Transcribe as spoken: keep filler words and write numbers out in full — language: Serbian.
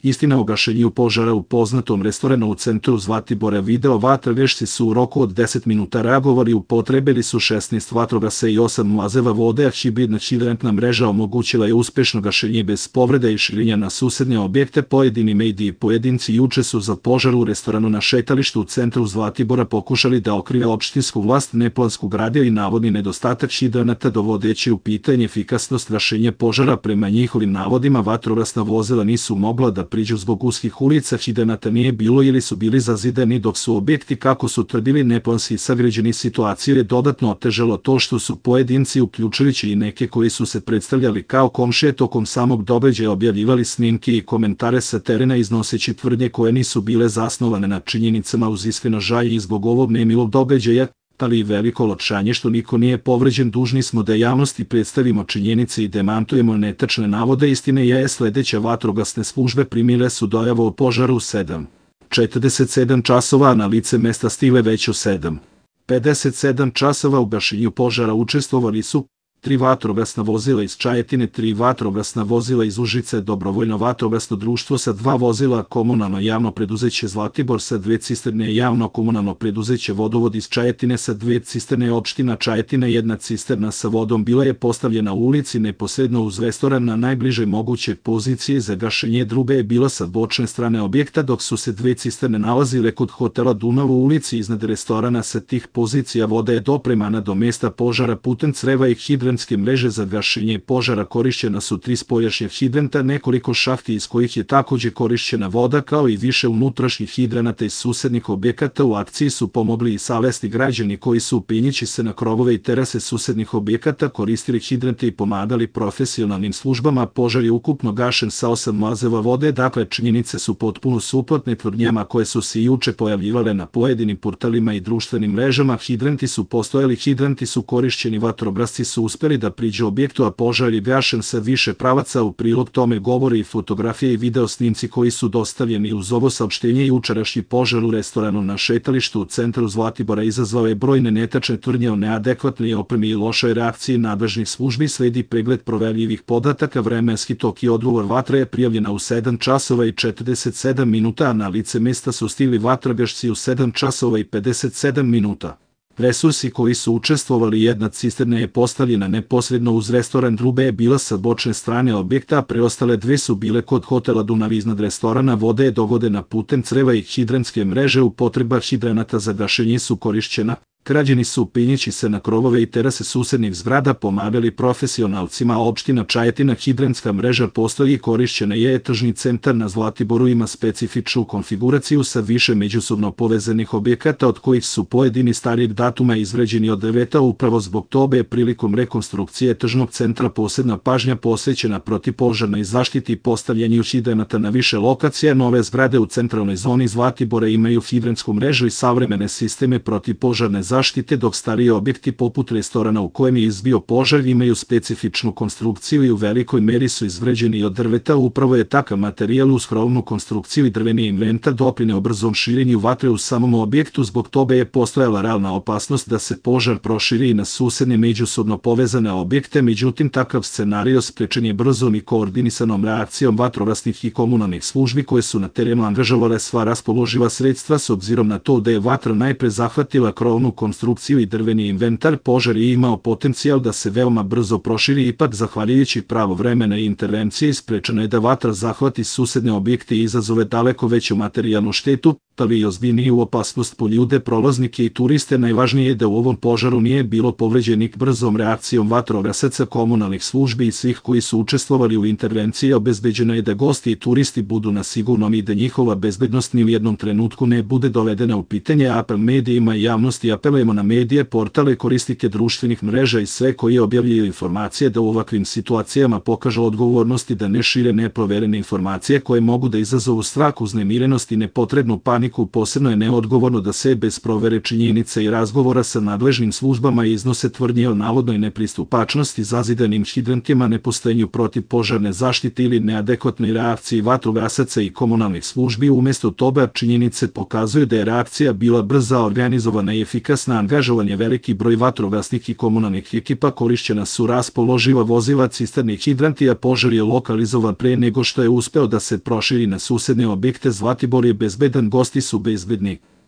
Istina o gašenju požara u poznatom restoranu u centru Zlatibora. Video vatrogasci su u roku od deset minuta reagovali, upotrebili su šesnaest vatrogasaca i osam mlazeva vode, a hibridna hidrantna mreža omogućila je uspešno gašenje bez povrede i širenja na susedne objekte. Pojedini mediji i pojedinci juče su za požar u restoranu na šetalištu u centru Zlatibora pokušali da okrije opštinsku vlast, neplansku gradnju i navodni nedostatak hidranata, dovodeći u pitanje efikasnost gašenja požara. Prema njihovim navodima, vatrogasna vozila nisu mogla da priđu zbog uskih ulica, hidranata nije bilo ili su bili zazidani, dok su objekti, kako su tvrdili, neplanski sagrađeni. Situaciju je dodatno otežalo to što su pojedinci, uključujući i neke koji su se predstavljali kao komšije, tokom samog događaja objavljivali snimke i komentare sa terena, iznoseći tvrdnje koje nisu bile zasnovane na činjenicama. Uz iskreno žaljenje i zbog ovog nemilog događaja, ali i veliko olakšanje što niko nije povređen, dužni smo da javnosti predstavimo činjenice i demantujemo netačne navode. Istina je sledeća: vatrogasne službe primile su dojavu o požaru u sedam četrdeset sedam časova, a na lice mesta stigle već u sedam pedeset sedam časova. U gašenju požara učestvovali su tri vatrogasna vozila iz Čajetine, tri vatrogasna vozila iz Užice, dobrovoljno vatrogasno društvo sa dva vozila, komunalno javno preduzeće Zlatibor sa dve cisterne, javno komunalno preduzeće Vodovod iz Čajetine sa dve cisterne, opština Čajetina. Jedna cisterna sa vodom bila je postavljena u ulici neposredno uz restoran na najbližoj mogućoj poziciji za gašenje, druga je bila sa bočne strane objekta, dok su se dve cisterne nalazile kod hotela Dunav u ulici iznad restorana. Sa tih pozicija voda je dopremana do mesta požara putem creva i hidranata mreže. Za gašenje požara korišćena su tri spoljašnja hidranta, nekoliko šahti iz kojih je takođe korišćena voda, kao i više unutrašnjih hidranata iz susednih objekata. U akciji su pomogli i savesni građani koji su, penjući se na krovove i terase susednih objekata, koristili hidrante i pomagali profesionalnim službama. Požar je ukupno gašen sa osam mlazeva vode. Dakle, činjenice su potpuno suprotne tvrdnjama koje su se juče pojavljivale na pojedinim portalima i društvenim mrežama. Hidranti su postojali, hidranti su korišćeni, vatrogasci su uspeli da priđu objektu, a požar je gašen sa više pravaca. U prilog tome govori i fotografije i video snimci koji su dostavljeni uz ovo saopštenje. Jučerašnji požar u restoranu na šetalištu u centru Zlatibora izazvao je brojne netačne tvrdnje o neadekvatnoj opremi i lošoj reakciji nadležnih službi. Sledi pregled proverljivih podataka. Vremenski tok i odgovor: vatra je prijavljena u sedam časova i četrdeset sedam minuta, a na lice mesta su stigli vatrogasci u sedam časova i pedeset sedam minuta. Resursi koji su učestvovali: jedna cisterna je postavljena neposredno uz restoran, druga je bila sa bočne strane objekta, a preostale dve su bile kod hotela Dunav iznad restorana. Voda je dovodena putem creva i hidrantske mreže. Upotreba hidranata za gašenje su korišćena. Građani su, penjući se na krovove i terase susednih zgrada, pomagali profesionalcima. Opština Čajetina: hidrantska mreža postoji i korišćena je. Tržni centar na Zlatiboru ima specifičnu konfiguraciju sa više međusobno povezanih objekata, od kojih su pojedini starijeg datuma izgrađeni od drveta. Upravo zbog toga je prilikom rekonstrukcije tržnog centra posebna pažnja posvećena protivpožarnoj zaštiti i postavljanju hidranata na više lokacija. Nove zgrade u centralnoj zoni Zlatibora imaju hidrantsku mrežu i savremene sisteme protivpožarne zaštite, dok stariji objekti poput restorana u kojem je izbio požar imaju specifičnu konstrukciju i u velikoj meri su izgrađeni od drveta. Upravo je takav materijal uz krovnu konstrukciju i drveni inventar doprineo brzom širenju vatre u samom objektu. Zbog toga je postojala realna opasnost da se požar proširi i na susedne međusobno povezane objekte. Međutim, takav scenario sprečen je brzom i koordinisanom reakcijom vatrogasnih i komunalnih službi koje su na terenu angažovale sva raspoloživa sredstva. S obzirom na to da je vatra najpre zahvatila krovnu konstrukciju i drveni inventar, požar je imao potencijal da se veoma brzo proširi. Ipak, zahvaljujući pravovremene intervencije, sprečeno je da vatra zahvati susedne objekte i izazove daleko veću materijalnu štetu, ali i ozbiljniju opasnost po ljude, prolaznike i turiste. Najvažnije je da u ovom požaru nije bilo povređenih. Brzom reakcijom vatrogasaca, komunalnih službi i svih koji su učestvovali u intervenciji obezbeđeno je da gosti i turisti budu na sigurnom i da njihova bezbednost ni u jednom trenutku ne bude dovedena u pitanje. Apel medijima i javnosti: apelujemo na medije, portale, korisnike društvenih mreža i sve koji objavljaju informacije da u ovakvim situacijama pokažu odgovornost i da ne šire neproverene informacije koje mogu da izazovu strah, uznemirenost i nepotrebnu paniku načelniku posebno je neodgovorno da se bez provere činjenica i razgovora sa nadležnim službama iznose tvrdnje o navodnoj nepristupačnosti zazidanim hidrantima, nepostojanju protivpožarne zaštite ili neadekvatnoj reakciji vatrogasaca i komunalnih službi. Umesto toga činjenice pokazuju da je reakcija bila brza, organizovana i efikasna, angažovan je veliki broj vatrogasnih i komunalnih ekipa, korišćena su raspoloživa vozila, cisterne i hidranti, a požar je lokalizovan pre nego što je uspeo da se proširi na susedne objekte. Zlatibor je bezbedan, gosti su bezbedni.